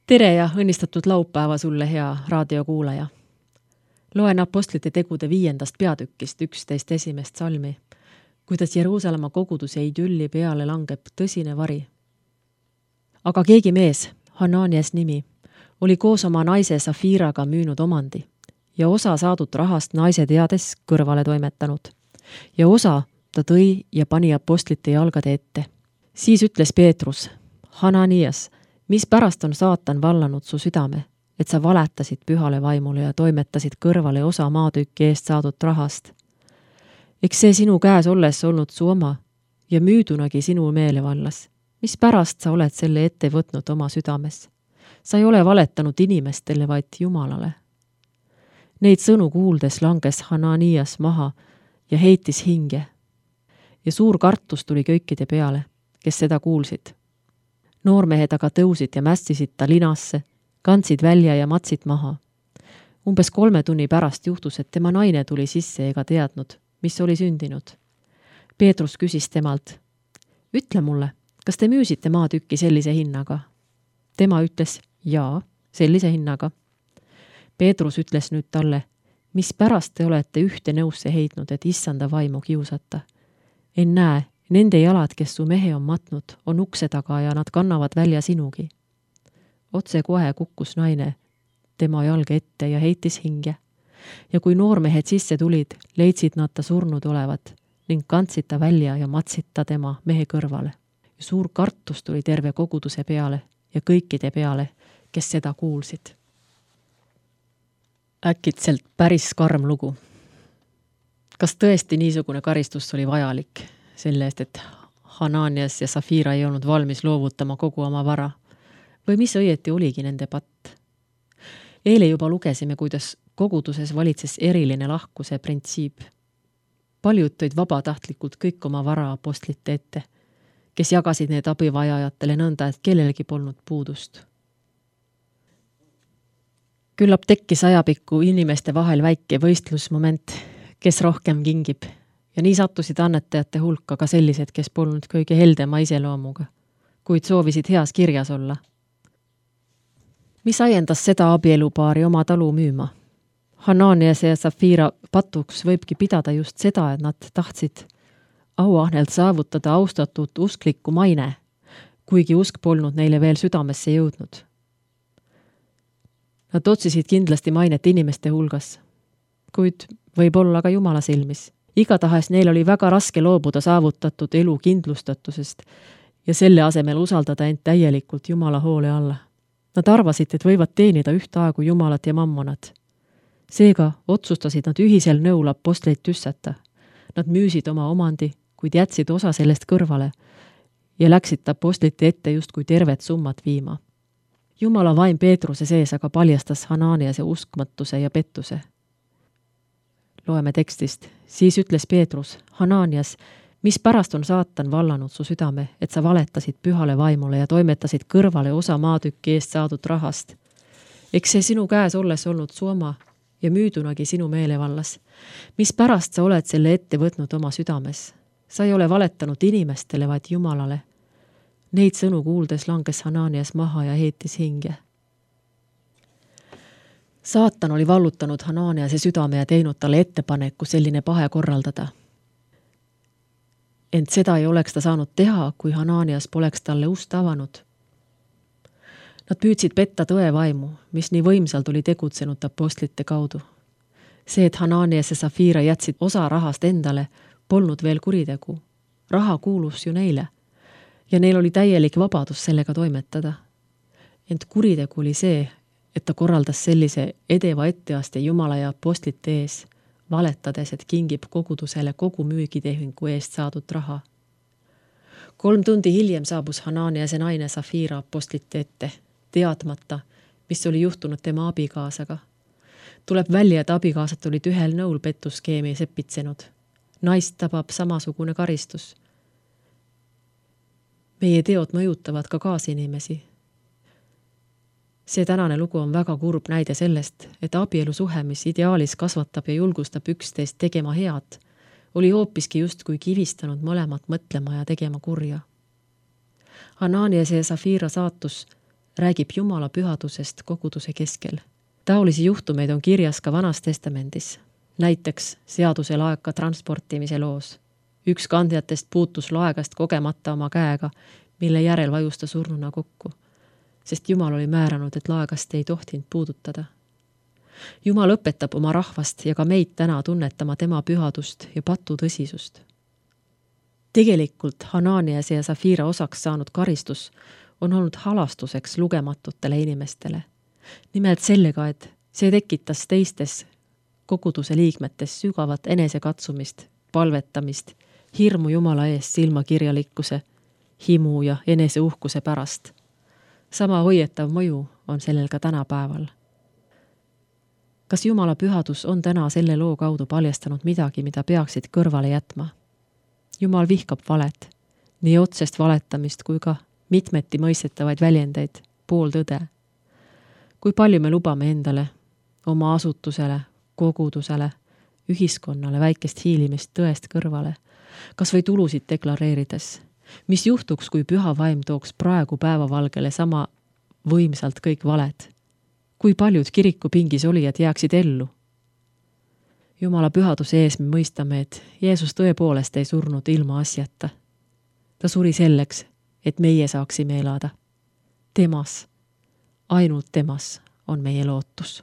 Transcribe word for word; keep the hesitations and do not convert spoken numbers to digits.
Tere ja õnnistatud laupäeva sulle, hea raadiokuulaja. Loen apostlite tegude viiendast peatükist üksteist esimest salmi, kuidas Jeruusalemma koguduse idülli peale langeb tõsine vari. Aga keegi mees, Hananias nimi, oli koos oma naise Safiraga müünud omandi ja osa saadud rahast naise teades kõrvale toimetanud. Ja osa ta tõi ja pani apostlite jalgade ette. Siis ütles Peetrus, Hananias, mis pärast on saatan vallanud su südame, et sa valetasid pühale vaimule ja toimetasid kõrvale osa maatükki eest saadud rahast. Eks see sinu käes olles olnud su oma ja müüdunagi sinu meelevallas. Mis pärast sa oled selle ette võtnud oma südames? Sa ei ole valetanud inimestele, vaid Jumalale. Neid sõnu kuuldes langes Hananias maha ja heitis hinge. Ja suur kartus tuli kõikide peale, kes seda kuulsid. Noormehed aga tõusid ja mässisid ta linasse, kandsid välja ja matsid maha. Umbes kolme tunni pärast juhtus, et tema naine tuli sisse ega teadnud, mis oli sündinud. Peetrus küsis temalt, ütle mulle, kas te müüsite maatükki sellise hinnaga? Tema ütles, jaa, sellise hinnaga. Peetrus ütles nüüd talle, mis pärast te olete ühte nõusse heidnud, et issanda vaimu kiusata? En näe, nende jalad, kes su mehe on matnud, on ukse taga ja nad kannavad välja sinugi. Otse kohe kukkus naine tema jalge ette ja heitis hinge. Ja kui noormehed sisse tulid, leidsid nad ta surnud olevat ning kandsid ta välja ja matsid ta tema mehe kõrvale. Ja suur kartus tuli terve koguduse peale ja kõikide peale, kes seda kuulsid. Äkitselt päris karm lugu. Kas tõesti niisugune karistus oli vajalik selle eest, et Hananias ja Safira ei olnud valmis loovutama kogu oma vara? Või mis õieti oligi nende patt? Eile juba lugesime, kuidas koguduses valitses eriline lahkuse printsiip. Paljud tõid vabatahtlikult kõik oma vara apostlite ette, kes jagasid need abivajajatele nõnda, et kellelegi polnud puudust. Küllap tekkis ajapikku inimeste vahel väike võistlusmoment, kes rohkem kingib, ja nii sattusid annetajate hulka ka sellised, kes polnud kõige heldema iseloomuga, kuid soovisid heas kirjas olla. Mis ajendas seda abielupaari oma talu müüma? Hananias ja Safira patuks võibki pidada just seda, et nad tahtsid auahnelt saavutada austatud usklikku maine, kuigi usk polnud neile veel südamesse jõudnud. Nad otsisid kindlasti mainet inimeste hulgas, kuid võib-olla ka Jumala silmis. Igatahes neil oli väga raske loobuda saavutatud elu kindlustatusest ja selle asemel usaldada end täielikult Jumala hoole alla. Nad arvasid, et võivad teenida ühtaegu Jumalat ja mammonat. Seega otsustasid nad ühisel nõul apostleid tüssata. Nad müüsid oma omandi, kuid jätsid osa sellest kõrvale ja läksid apostlite ette justkui tervet summat viima. Jumala vaim Peetruse sees aga paljastas Hananiase uskmatuse ja pettuse. Loeme tekstist. Siis ütles Peetrus, Hananias, mis pärast on saatan vallanud su südame, et sa valetasid pühale vaimule ja toimetasid kõrvale osa maatükki eest saadud rahast. Eks see sinu käes olles olnud su oma ja müüdunagi sinu meelevallas. Mis pärast sa oled selle ette võtnud oma südames? Sa ei ole valetanud inimestele, vaid Jumalale. Neid sõnu kuuldes langes Hananias maha ja heitis hinge. Saatan oli vallutanud Hananiase südame ja teinud talle ettepaneku selline pahe korraldada. Ent seda ei oleks ta saanud teha, kui Hananias poleks talle ust avanud. Nad püüdsid petta tõe vaimu, mis nii võimsalt oli tegutsenud apostlite kaudu. See, et Hananias ja Safira jätsid osa rahast endale, polnud veel kuritegu. Raha kuulus ju neile ja neil oli täielik vabadus sellega toimetada. Ent kuritegu oli see, et ta korraldas sellise edeva etteaste Jumala ja apostlite ees, valetades, et kingib kogudusele kogu müügitehingu eest saadud raha. Kolm tundi hiljem saabus Hananias ja naine Safira apostlite ette, teadmata, mis oli juhtunud tema abikaasaga. Tuleb välja, et abikaasad olid ühel nõul petuskeemi sepitsenud. Naist tabab samasugune karistus. Meie teod mõjutavad ka kaasinimesi. See tänane lugu on väga kurb näide sellest, et abielusuhe, mis ideaalis kasvatab ja julgustab üksteist tegema head, oli hoopiski justkui kivistanud mõlemat mõtlema ja tegema kurja. Hananias ja Safira saatus räägib Jumala pühadusest koguduse keskel. Taolisi juhtumeid on kirjas ka Vanas Testamendis, näiteks seaduse laeka transportimise loos. Üks kandjatest puutus laegast kogemata oma käega, mille järel vajus ta surnuna kokku, sest Jumal oli määranud, et laegast ei tohtinud puudutada. Jumal õpetab oma rahvast ja ka meid täna tunnetama tema pühadust ja patu tõsisust. Tegelikult Hananiase ja Safira osaks saanud karistus on olnud halastuseks lugematutele inimestele. Nimelt sellega, et see tekitas teistes koguduse liikmetes sügavat enesekatsumist, palvetamist, hirmu Jumala eest silmakirjalikkuse, himu ja eneseuhkuse pärast. Sama hoietav mõju on sellel ka tänapäeval. Kas Jumala pühadus on täna selle loo kaudu paljastanud midagi, mida peaksid kõrvale jätma? Jumal vihkab valet, nii otsest valetamist kui ka mitmeti mõistetavaid väljendeid, pooltõde. Kui palju me lubame endale, oma asutusele, kogudusele, ühiskonnale väikest hiilimist tõest kõrvale, kas või tulusid deklareerides? Mis juhtuks, kui püha vaim tooks praegu päevavalgele sama võimsalt kõik valed? Kui paljud kirikupingis olijad jääksid ellu? Jumala pühaduse ees me mõistame, et Jeesus tõepoolest ei surnud ilma asjata. Ta suri selleks, et meie saaksime elada. Temas, ainult temas on meie lootus.